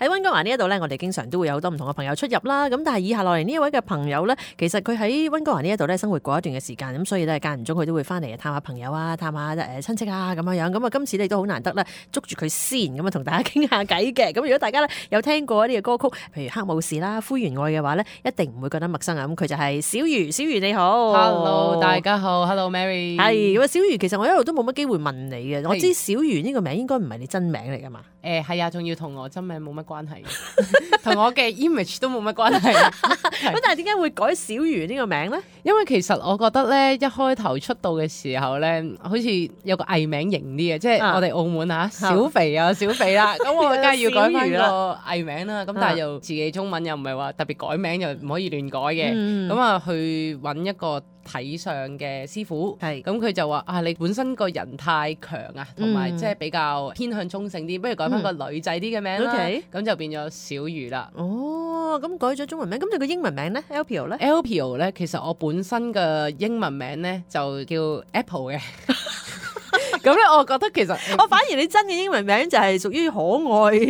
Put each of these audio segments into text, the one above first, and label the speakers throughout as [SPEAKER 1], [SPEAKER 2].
[SPEAKER 1] 喺溫哥華呢一度咧，我哋經常都會有好多唔同嘅朋友出入啦。咁但係以下落嚟呢一位嘅朋友咧，其實佢喺溫哥華呢一度咧生活過一段嘅時間，咁所以咧間唔中佢都會翻嚟探下朋友啊，探下親戚啊咁樣。咁啊，今次你都好難得咧捉住佢先，咁啊同大家傾下偈嘅。咁如果大家咧有聽過一啲嘅歌曲，譬如黑武士啦、灰原愛嘅話咧，一定唔會覺得陌生啊。咁佢就係小瑜，小瑜你好
[SPEAKER 2] ，Hello 大家好 ，Hello Mary，
[SPEAKER 1] 係咁啊，小瑜其實我一路都冇乜機會問你嘅，我知小瑜呢個名應該唔係你真名嚟噶嘛？
[SPEAKER 2] 係啊，仲要同我真名冇乜關係，同我嘅 image 都冇乜關係。
[SPEAKER 1] 咁但係點解會改小瑜呢個名咧？
[SPEAKER 2] 因為其實我覺得咧，一開頭出道嘅時候咧，好似有個藝名型啲嘅，即係我哋澳門小肥啊小肥啦，咁我梗係要改翻個藝名啦。咁但係又自己中文又唔係話特別改名，又唔可以亂改嘅。咁啊去揾一個睇相嘅師傅，咁佢就話你本身個人太強啊，同埋即係比較偏向中性啲，不如改翻個女仔啲嘅名啦。咁就變咗小瑜啦。
[SPEAKER 1] 哦，咁改咗中文名，咁你個英文名咧 Alpio 咧
[SPEAKER 2] ？Alpio 咧，其實我本身嘅英文名咧就叫 Apple 嘅。咁咧，我覺得其實
[SPEAKER 1] 我反而你真嘅英文名就係屬於可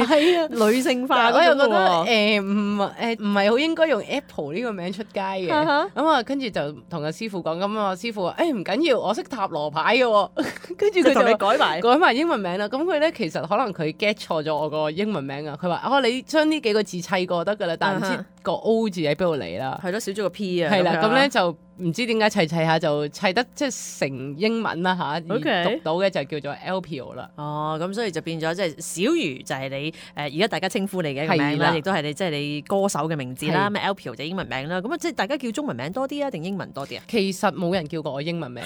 [SPEAKER 1] 愛、女性化。
[SPEAKER 2] 我又覺得唔係好應該用 Apple 呢個名出街嘅。咁啊，跟住就同個師傅講，咁啊師傅話唔緊要，我識塔羅牌嘅。跟住佢就同你改埋英文名啦。咁佢咧其實可能佢 get 錯咗我個英文名啊。佢話你將呢幾個字砌過得㗎啦，但係唔知個 O 字喺邊度嚟啦。
[SPEAKER 1] 係咯，少咗個 P 啊。
[SPEAKER 2] 係啦，咁咧就唔知點解砌下就砌得即係成英文啦嚇，而讀到嘅就叫做 Alpio 啦。
[SPEAKER 1] 哦，咁所以就變咗即係小瑜就係你而家大家稱呼你嘅一個名啦，亦都係你即係你歌手嘅名字啦。咩 Alpio 就英文名啦。咁啊即係大家叫中文名多啲啊，定英文多啲啊？
[SPEAKER 2] 其實冇人叫過我英文名，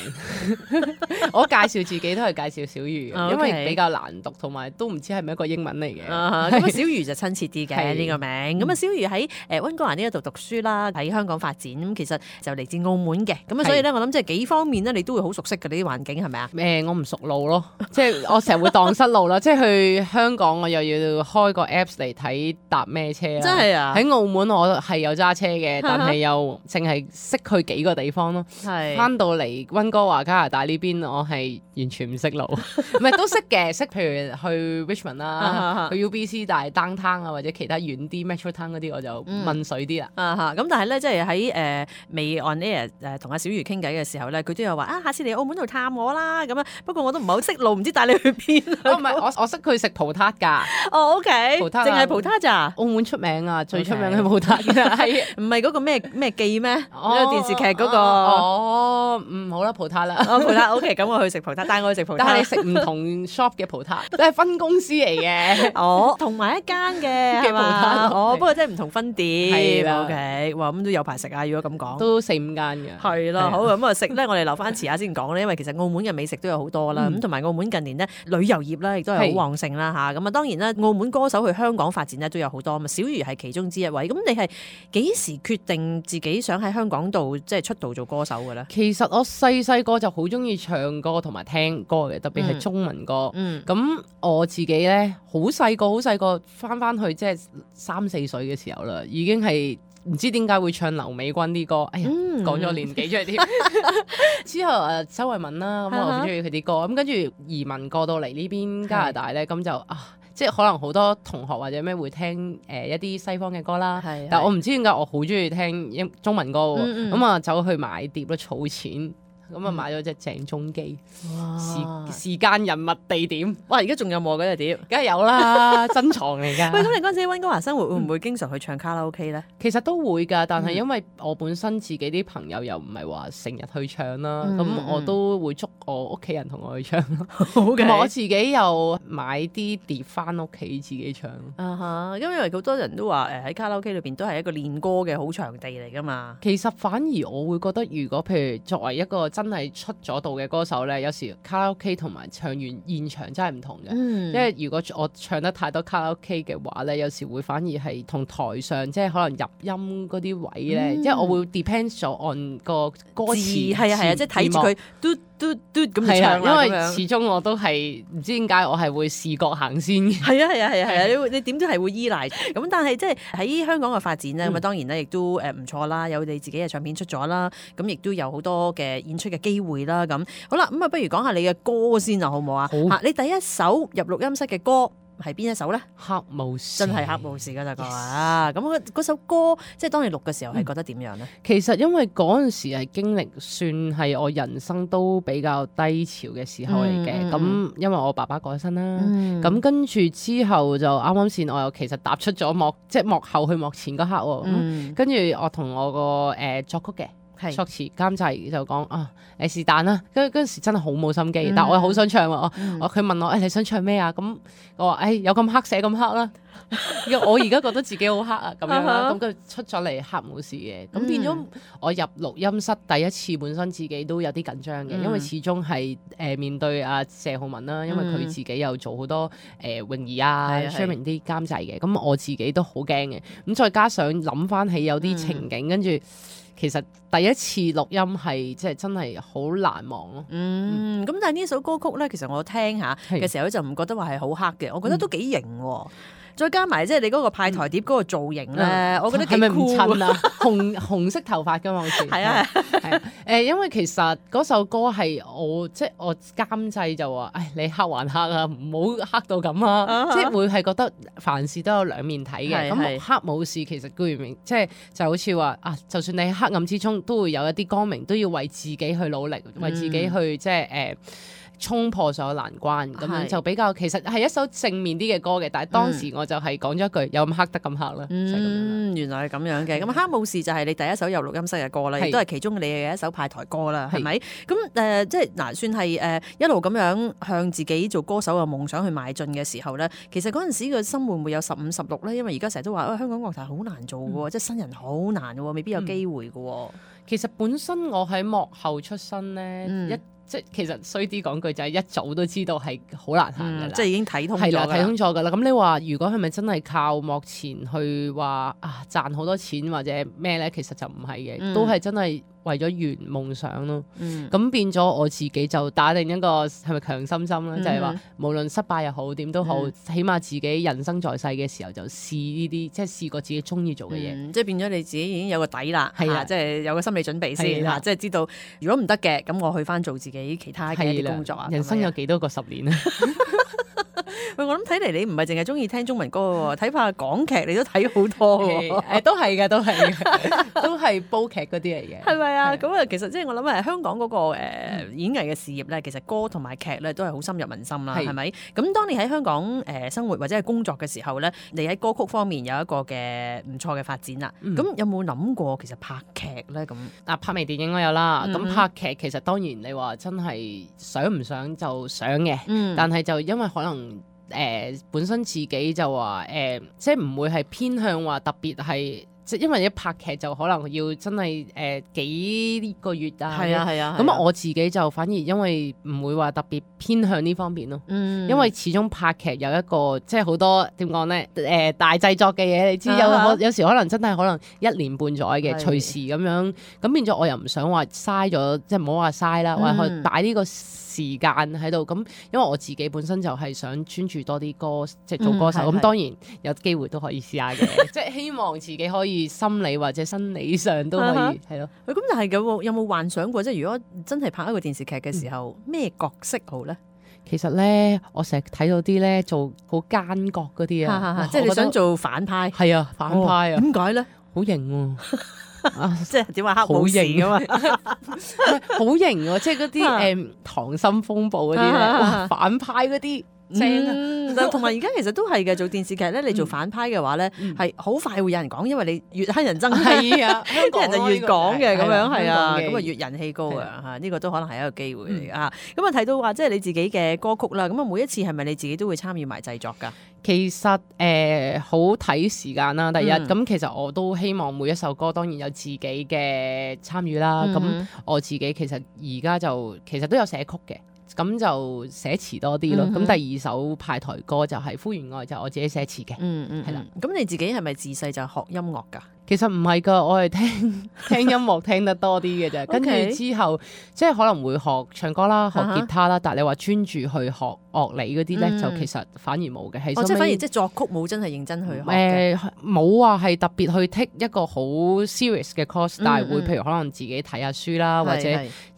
[SPEAKER 2] 我介紹自己都係介紹小瑜，因為比較難讀，同埋都唔知係咪一個英文嚟嘅。
[SPEAKER 1] 咁啊小瑜就親切啲嘅呢個名。咁啊小瑜喺溫哥華呢一度讀書啦，喺香港發展。咁其實就嚟自澳門嘅。咁啊所以咧我諗即係幾方面咧，你都會好熟悉嘅呢啲環境係咪啊？
[SPEAKER 2] 我唔熟路咯，即係我成日會蕩失路啦。即係去香港我又要開個 Apps 嚟睇搭咩車啦。
[SPEAKER 1] 真係啊！
[SPEAKER 2] 喺澳門我係有揸車嘅，但係又淨係識去幾個地方咯。翻到嚟溫哥華加拿大呢邊，我係完全唔識路。唔係都識嘅，識譬如去 Richmond 啦，去 UBC，但係 downtown 啊或者其他遠啲 Metro Town 嗰啲我就問水啲啦。
[SPEAKER 1] 咁但係咧即係喺未 on air 同阿小瑜傾偈嘅時候咧，佢都有話下次嚟澳門度探我啦咁啊。不過我都唔係好識路，唔知帶你去邊。
[SPEAKER 2] 唔係我識去食葡撻㗎。
[SPEAKER 1] 哦 OK，
[SPEAKER 2] 葡撻
[SPEAKER 1] 淨係葡撻咋？
[SPEAKER 2] 澳門出名啊，最出名嘅葡撻係
[SPEAKER 1] 唔係嗰個咩記咩？嗰個電視劇嗰個。
[SPEAKER 2] 好啦，葡撻啦。
[SPEAKER 1] 葡撻 OK，咁我去食葡撻，帶我去食葡撻。
[SPEAKER 2] 但係你食唔同 shop 嘅葡撻，都係分公司嚟嘅。
[SPEAKER 1] 同埋一間嘅
[SPEAKER 2] 葡撻。
[SPEAKER 1] 不過即係唔同分店。
[SPEAKER 2] 係啦
[SPEAKER 1] OK，哇咁都有排食啊！如果咁講，
[SPEAKER 2] 都4-5間嘅。
[SPEAKER 1] 係啦，好咁啊食咧，我哋留翻遲下先講咧，因為其實澳門嘅美食都有好多啦。咁同埋澳門近年咧旅遊業咧亦都係好旺盛啦嚇。咁啊當然啦，澳門歌手去香港發展咧都有好多嘛。小瑜係其中之一位。咁你係幾時決定自己想喺香港度即係出道做歌手嘅咧？
[SPEAKER 2] 其實我細個就好中意唱歌同埋聽歌嘅，特別係中文歌。咁我自己咧好細個翻去即係3-4歲嘅時候啦，已經係唔知點解會唱劉美君啲歌。哎呀，講咗年紀出嚟添。之後周慧敏啦，咁我好中意佢啲歌。咁跟住移民過到嚟呢邊加拿大咧，咁就即係可能好多同學或者咩會聽一啲西方嘅歌啦。但係我唔知點解我好中意聽中文歌喎。咁啊走去買碟咯，儲錢。咁啊買咗隻鄭中基，時間人物地點，
[SPEAKER 1] 哇！而家仲有冇嗰隻碟？
[SPEAKER 2] 梗係有啦，珍藏嚟㗎。
[SPEAKER 1] 喂，咁你嗰陣時喺溫哥華生活會唔會經常去唱卡拉 OK 咧？
[SPEAKER 2] 其實都會㗎，但係因為我本身自己啲朋友又唔係話成日去唱啦，咁我都會捉我屋企人同我去唱咯。咁我自己又買啲碟翻屋企自己唱。
[SPEAKER 1] 因為好多人都話喺卡拉 OK 裏邊都係一個練歌嘅好場地嚟㗎嘛。
[SPEAKER 2] 其實反而我會覺得，如果譬如作為一個真係出咗道嘅歌手咧，有時卡拉 OK 同埋唱完現場真係唔同嘅。因為如果我唱得太多卡拉 OK 嘅話咧，有時會反而係同台上即係可能入音嗰啲位咧，即係我會 depends 咗 on 個歌詞。係啊，即係睇住佢嘟嘟嘟咁唱啦。因為始終我都係唔知點解我係會視覺行先嘅。
[SPEAKER 1] 係啊，你點都係會依賴。咁但係即係喺香港嘅發展咧，咁當然咧亦都唔錯啦，有你自己嘅唱片出咗啦，咁亦都有好多嘅演出嘅機會啦。咁好啦，咁啊不如講下你嘅歌先啊，好唔好啊？好。你第一首入錄音室嘅歌係邊一首咧？
[SPEAKER 2] 黑武士
[SPEAKER 1] 真係黑武士嗰隻歌啊！咁嗰首歌即係當你錄嘅時候係覺得點樣咧？
[SPEAKER 2] 其實因為嗰陣時係經歷算係我人生都比較低潮嘅時候嚟嘅，咁因為我爸爸過咗身啦，咁跟住之後就啱啱先我又其實踏出咗幕後去幕前嗰刻喎，跟住我同我個作曲嘅。作詞監製就講啊，是但啦，嗰陣時真係好冇心機，但我又好想唱喎。佢問我你想唱咩啊？咁我話有咁黑寫咁黑啦。我而家覺得自己好黑啊，咁樣啦，咁佢出咗嚟黑武士嘅，咁變咗我入錄音室第一次，本身自己都有啲緊張嘅，因為始終係面對阿謝浩文啦，因為佢自己又做好多泳兒啊、Sherman 啲監製嘅，咁我自己都好驚嘅，咁再加上諗翻起有啲情景，跟住。其實第一次錄音係即係真係好難忘咯。
[SPEAKER 1] 咁但係呢首歌曲咧，其實我聽下嘅時候就唔覺得話係好黑嘅，我覺得都幾型喎。再加埋即係你嗰個派台碟嗰個造型咧，我覺得幾酷。係咪唔襯啊？紅色頭髮㗎嘛，好似係啊係
[SPEAKER 2] 因為其實嗰首歌係我監製就話，你黑還黑啊，唔好黑到咁啊，即係會係覺得凡事都有兩面睇嘅。咁黑武士其實顧名即係就好似話就算你喺黑暗之中都會有一啲光明，都要為自己去努力，為自己去即係衝破所有難關，咁樣就比較其實係一首正面啲嘅歌嘅，但係當時我就係講咗一句有咁黑得咁黑啦。
[SPEAKER 1] 原來係咁樣嘅。咁黑武士就係你第一首入錄音室嘅歌啦，亦都係其中你嘅一首派台歌啦，係咪？咁即係算係一路咁樣向自己做歌手嘅夢想去邁進嘅時候咧，其實嗰陣時個心會唔會有15、16咧？因為而家成日都話香港樂壇好難做嘅喎，即係新人好難嘅喎，未必有機會嘅喎。
[SPEAKER 2] 其實本身我喺幕後出身咧，即係其實衰啲講句就係一早都知道係好難行嘅啦，
[SPEAKER 1] 即係已經睇通咗。係啦，
[SPEAKER 2] 睇通咗㗎啦。咁你話如果係咪真係靠幕前去話賺好多錢或者咩咧？其實就唔係嘅，都係真係為咗圓夢想咯。咁變咗我自己就打定一個係咪強心針咧？就係話無論失敗又好點都好，起碼自己人生在世嘅時候就試呢啲，即係試過自己中意做嘅嘢。即係變咗你自己已經有個底啦，係啊，即係有個心理準備先嚇，即係知道如果唔得嘅，咁我去翻做自己其他嘅一啲工作啊。人生有幾多個10年啊？
[SPEAKER 1] 喂，我諗睇嚟你唔係淨係中意聽中文歌喎，睇怕港劇你都睇好多喎。
[SPEAKER 2] 都係嘅，都係煲劇嗰啲嚟嘅。
[SPEAKER 1] 係咪啊？咁啊，其實即係我諗香港嗰個演藝嘅事業咧，其實歌同埋劇咧都係好深入民心啦，係咪？咁當你喺香港生活或者係工作嘅時候咧，你喺歌曲方面有一個嘅唔錯嘅發展啦。咁有冇諗過其實拍劇咧？咁
[SPEAKER 2] 拍微電影我有啦。咁拍劇其實當然你話真係想唔想就想嘅，但係就因為可能。本身自己就話即係唔會係偏向話特別係，即係因為一拍劇就可能要真係幾個月啊。係啊。咁我自己就反而因為唔會話特別偏向呢方面咯。因為始終拍劇有一個即係好多點講咧大製作嘅嘢，你知有時可能真係可能1年半載嘅，隨時咁樣。咁變咗我又唔想話嘥咗，即係唔好話嘥啦，或者去擺呢個時間喺度，咁因為我自己本身就係想專注多啲歌，即係做歌手。咁當然有機會都可以試下嘅，即係希望自己可以心理或者生理上都可以係咯。咁
[SPEAKER 1] 但係有冇幻想過，即係如果真係拍一個電視劇嘅時候，咩角色好咧？
[SPEAKER 2] 其實咧，我成日睇到啲咧做好奸角嗰啲啊，
[SPEAKER 1] 即係你想做反派。
[SPEAKER 2] 係啊，反派啊，
[SPEAKER 1] 點解咧？
[SPEAKER 2] 好型喎！
[SPEAKER 1] 即係點話黑武士㗎嘛？
[SPEAKER 2] 好型喎！即係嗰啲溏心風暴嗰啲咧，哇！反派嗰啲正。
[SPEAKER 1] 同埋而家其實都係嘅，做電視劇咧，你做反派嘅話咧，係好快會有人講，因為你越黑人憎，
[SPEAKER 2] 係啊，
[SPEAKER 1] 啲人就越講嘅咁樣，係啊，咁啊越人氣高啊嚇，呢個都可能係一個機會嚟啊。咁啊睇到話即係你自己嘅歌曲啦，咁啊每一次係咪你自己都會參與埋製作㗎？
[SPEAKER 2] 其實好睇時間啦，第一咁其實我都希望每一首歌當然有自己嘅參與啦。咁我自己其實而家就其實都有寫曲嘅，咁就寫詞多啲咯。咁第二首派台歌就係《呼喚愛》，就我自己寫詞嘅。係啦。咁你自己係咪自細就學音樂㗎？其實唔係㗎，我係聽音樂聽得多啲嘅啫。跟住之後即係可能會學唱歌啦，學吉他啦。但係你話專注去學樂理嗰啲咧，就其實反而冇嘅。
[SPEAKER 1] 即係反而即係作曲冇真係認真去學嘅。
[SPEAKER 2] 冇話係特別去 take 一個好 serious 嘅 course，但係會譬如可能自己睇下書啦，或者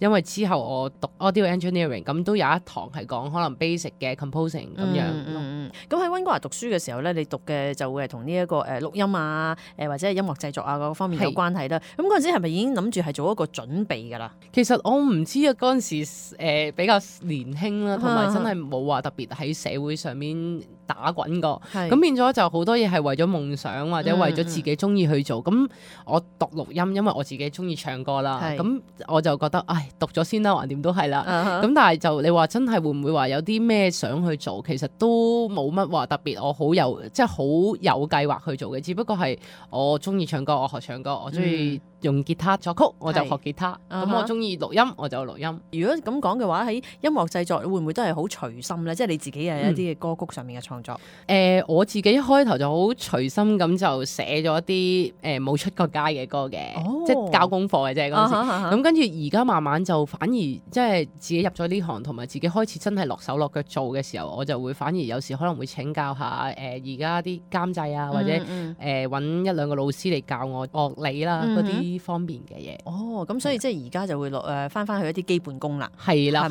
[SPEAKER 2] 因為之後我讀 audio engineering，咁都有一堂係講可能 basic 嘅 composing 咁樣。
[SPEAKER 1] 咁喺溫哥華讀書嘅時候咧，你讀嘅就會係同呢一個錄音啊，或者係音樂製作啊嗰方面有關係啦。咁嗰陣時係咪已經諗住係做一個準備㗎啦？
[SPEAKER 2] 其實我唔知啊，嗰陣時比較年輕啦，同埋真係冇話特別喺社會上面打滾過，咁變咗就好多嘢係為咗夢想或者為咗自己中意去做。咁我讀錄音，因為我自己中意唱歌啦，咁我就覺得唉，讀咗先啦，橫掂都係啦。咁但係就你話真係會唔會話有啲咩想去做？其實都冇乜話特別，我好有即係好有計劃去做嘅。只不過係我中意唱歌，我學唱歌，我中意用吉他作曲，我就學吉他。咁我中意錄音，我就錄音。
[SPEAKER 1] 如果咁講嘅話，喺音樂製作會唔會都係好隨心咧？即係你自己嘅一啲嘅歌曲上面嘅創作。
[SPEAKER 2] 我自己一開頭就好隨心咁就寫咗一啲冇出過街嘅歌嘅，即係交功課嘅啫嗰陣時。咁跟住而家慢慢就反而即係自己入咗呢行，同埋自己開始真係落手落腳做嘅時候，我就會反而有時可能會請教下而家啲監製啊，或者揾一兩個老師嚟教我樂理啦嗰啲方面嘅嘢。
[SPEAKER 1] 咁所以即係而家就會翻去一啲基本功啦。
[SPEAKER 2] 係啦。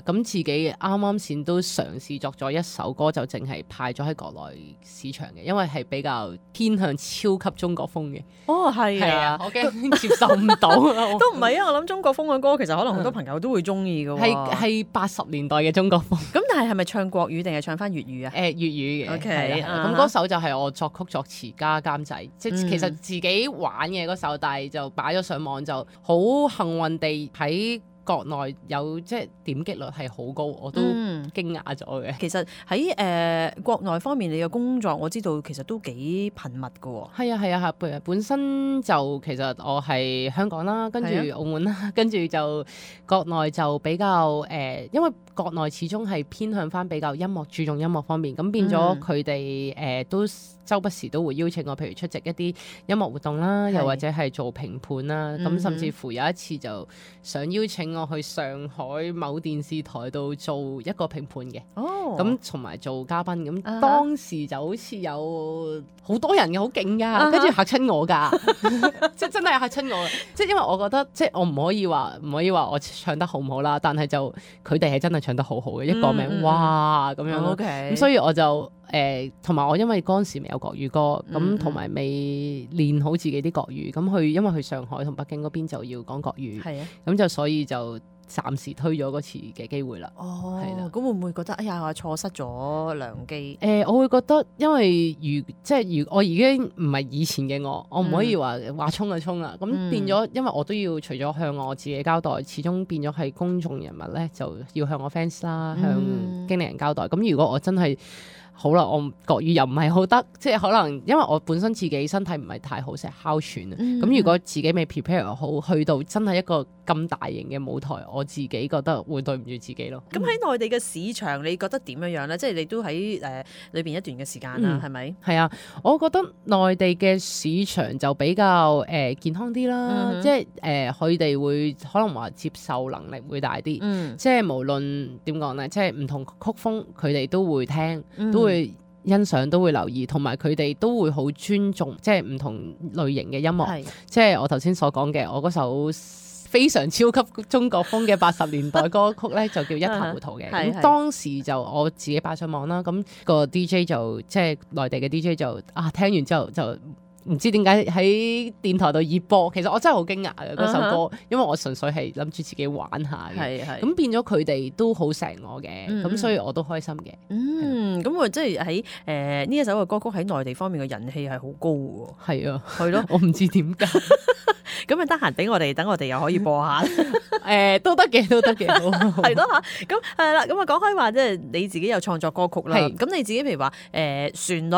[SPEAKER 2] 咁自己啱啱先都嘗試作咗一首歌，就淨係派咗喺國內市場嘅，因為係比較偏向超級中國風嘅。係啊，我驚接受唔到。
[SPEAKER 1] 都唔係啊，我諗中國風嘅歌其實可能好多朋友都會中意嘅。
[SPEAKER 2] 係80年代嘅中國風。
[SPEAKER 1] 咁但係係咪唱國語定係唱翻粵語啊？
[SPEAKER 2] 粵語嘅。
[SPEAKER 1] OK。
[SPEAKER 2] 咁嗰首就係我作曲作詞加監製，即係其實自己玩嘅嗰首，但係就擺咗上網，就好幸運地喺國內有即係點擊率係好高，我都驚訝咗嘅。
[SPEAKER 1] 其實喺國內方面，你嘅工作我知道其實都幾頻密㗎喎。
[SPEAKER 2] 係啊，本身就其實我係香港啦，跟住澳門啦，跟住就國內就比較因為國內始終係偏向翻比較注重音樂方面，咁變咗佢哋都周不時都會邀請我，譬如出席一啲音樂活動啦，又或者係做評判啦，咁甚至乎有一次就想邀請我去上海某電視台度做一個評判嘅，咁同埋做嘉賓，咁當時就好似有好多人嘅，好勁噶，跟住嚇親我噶，即係真係嚇親我，即係因為我覺得即係我唔可以話我唱得好唔好啦，但係就佢哋係真係唱得好好嘅，一個名哇咁樣咯，咁所以我就同埋我因為嗰陣時未有國語歌，咁同埋未練好自己啲國語，咁因為去上海同北京嗰邊就要講國語，咁就所以就暫時推咗嗰次嘅機會啦。係啦，
[SPEAKER 1] 咁會唔會覺得哎呀我錯失咗良機？
[SPEAKER 2] 我會覺得因為如我已經唔係以前嘅我唔可以話衝就衝啦，咁變咗因為我都要除咗向我自己交代，始終變咗係公眾人物咧，就要向我 fans 啦，向經理人交代。咁如果我真係好啦，我國語又唔係好得，即係可能因為我本身自己身體唔係太好，成日哮喘啊。咁如果自己未 prepare 好，去到真係一個咁大型嘅舞台，我自己覺得會對唔住自己咯。
[SPEAKER 1] 咁喺內地嘅市場，你覺得點樣咧？即係你都喺裏邊一段嘅時間啦，係咪？
[SPEAKER 2] 係啊，我覺得內地嘅市場就比較健康啲啦，即係佢哋會可能話接受能力會大啲，即係無論點講咧，即係唔同曲風佢哋都會聽，都會欣賞，都會留意，同埋佢哋都會好尊重，即係唔同類型嘅音樂。即係我頭先所講嘅，我嗰首非常超級中國風嘅80年代歌曲咧，就叫一塌糊塗嘅。咁當時就我自己擺上網啦，咁個 DJ 就即係內地嘅 DJ 就聽完之後就唔知點解喺電台度熱播，其實我真係好驚訝嘅嗰首歌，因為我純粹係諗住自己玩下嘅，咁變咗佢哋都好錫我嘅，咁所以我都開心嘅。
[SPEAKER 1] 咁我即係喺呢一首嘅歌曲喺內地方面嘅人氣係好高嘅喎。
[SPEAKER 2] 係啊，
[SPEAKER 1] 係咯，
[SPEAKER 2] 我唔知點解。
[SPEAKER 1] 咁啊，得閒俾我哋，等我哋又可以播下。
[SPEAKER 2] 都得嘅，
[SPEAKER 1] 係咯嚇。咁係啦，咁啊講開話，即係你自己有創作歌曲啦。咁你自己譬如話旋律，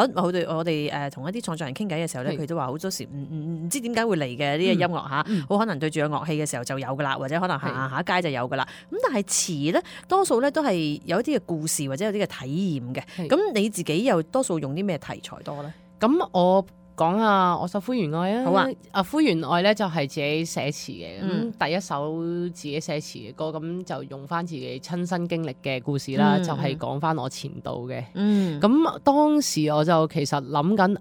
[SPEAKER 1] 我哋同一啲創作人傾偈嘅時候咧，佢都話好多時唔知點解會嚟嘅呢個音樂嚇，好可能對住個樂器嘅時候就有噶啦，或者可能行下街就有噶啦。咁但係詞咧，多數咧都係有一啲嘅故事或者有啲嘅體驗嘅。咁你自己又多數用啲咩題材多咧？
[SPEAKER 2] 咁我講下我首《灰原愛》啊。
[SPEAKER 1] 好啊。
[SPEAKER 2] 《灰原愛》咧就係自己寫詞嘅，咁第一首自己寫詞嘅歌，咁就用翻自己親身經歷嘅故事啦，就係講翻我前度嘅。咁當時我就其實諗緊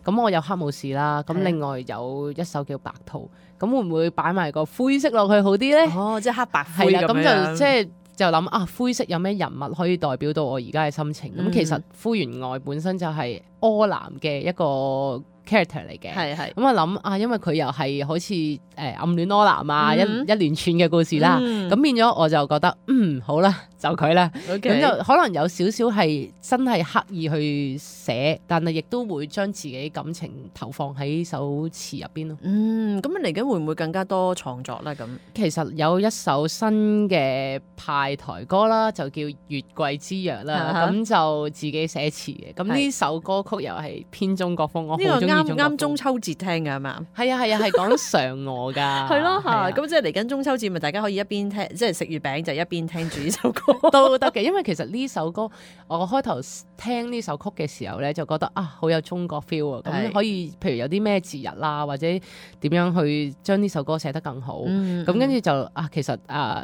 [SPEAKER 2] 咁我有黑武士啦，咁另外有一首叫白兔，咁會唔會擺埋個灰色落去好啲咧？
[SPEAKER 1] 即係黑白灰咁樣。
[SPEAKER 2] 係啦，咁就就諗啊，灰色有咩人物可以代表到我而家嘅心情？咁其實灰原愛本身就係柯南嘅一個 character 嚟嘅，咁我諗啊，因為佢又係好似暗戀柯南啊，一連串嘅故事啦，咁變咗我就覺得好啦，就佢啦，咁就可能有少少係真係刻意去寫，但係亦都會將自己感情投放喺首詞入邊咯。
[SPEAKER 1] 咁嚟緊會唔會更加多創作咧？咁
[SPEAKER 2] 其實有一首新嘅派台歌啦，就叫《月桂之約》啦，咁就自己寫詞嘅。咁呢首歌曲又係偏中國風，我好中意。
[SPEAKER 1] 啱中秋節聽㗎嘛？
[SPEAKER 2] 係啊，係講嫦娥㗎。
[SPEAKER 1] 係咯，咁即係嚟緊中秋節，咪大家可以一邊聽，即係食月餅就一邊聽住呢首歌
[SPEAKER 2] 都得嘅。因為其實呢首歌我開頭聽呢首曲嘅時候咧，就覺得啊好有中國 feel 啊。咁可以譬如有啲咩節日啦，或者點樣去將呢首歌寫得更好。咁跟住就其實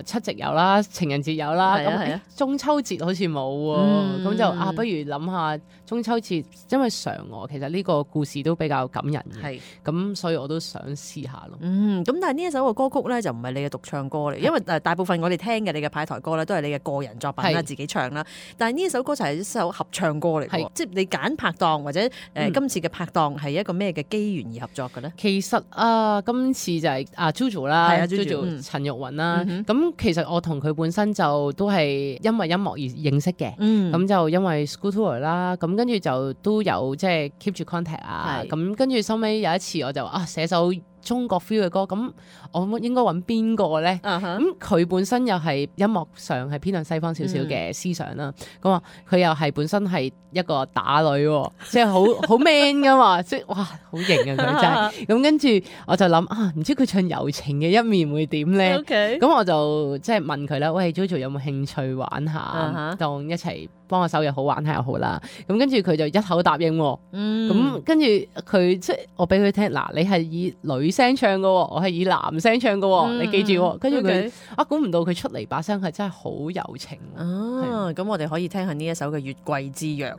[SPEAKER 2] 七夕有啦，情人節有啦，咁中秋節好似冇喎。咁就不如諗下中秋節，因為嫦娥其實呢個故事都比較感人嘅，咁所以我都想試下咯。
[SPEAKER 1] 咁但係呢一首嘅歌曲咧就唔係你嘅獨唱歌嚟，因為大部分我哋聽嘅你嘅派台歌咧都係你嘅個人作品啦，自己唱啦。但係呢一首歌就係一首合唱歌嚟，即係你揀拍檔或者今次嘅拍檔係一個咩嘅機緣而合作嘅咧？
[SPEAKER 2] 其實今次就係JoJo 啦，JoJo 陳玉雲啦。咁其實我同佢本身就都係因為音樂而認識嘅，咁就因為 School Tour 啦，咁跟住就都有即係 keep 住 contact 啊，咁跟住收尾有一次我就寫首中國 feel 嘅歌，咁我應該揾邊個咧？咁佢本身又係音樂上係偏向西方少少嘅思想啦。咁啊，佢又係本身係一個打女，即係好 man 噶嘛，即係哇好型啊佢真係。咁跟住我就諗唔知佢唱柔情嘅一面會點咧？咁我就即係問佢啦，喂 JoJo 有冇興趣玩下，當一齊幫我手又好玩下又好啦。咁跟住佢就一口答應。咁跟住佢即係我俾佢聽，嗱你係以女聲唱嘅，我係以男聲唱嘅，你記住。跟住佢估唔到佢出嚟把聲係真係好柔情。
[SPEAKER 1] 咁我哋可以聽下呢一首嘅《月桂之約》。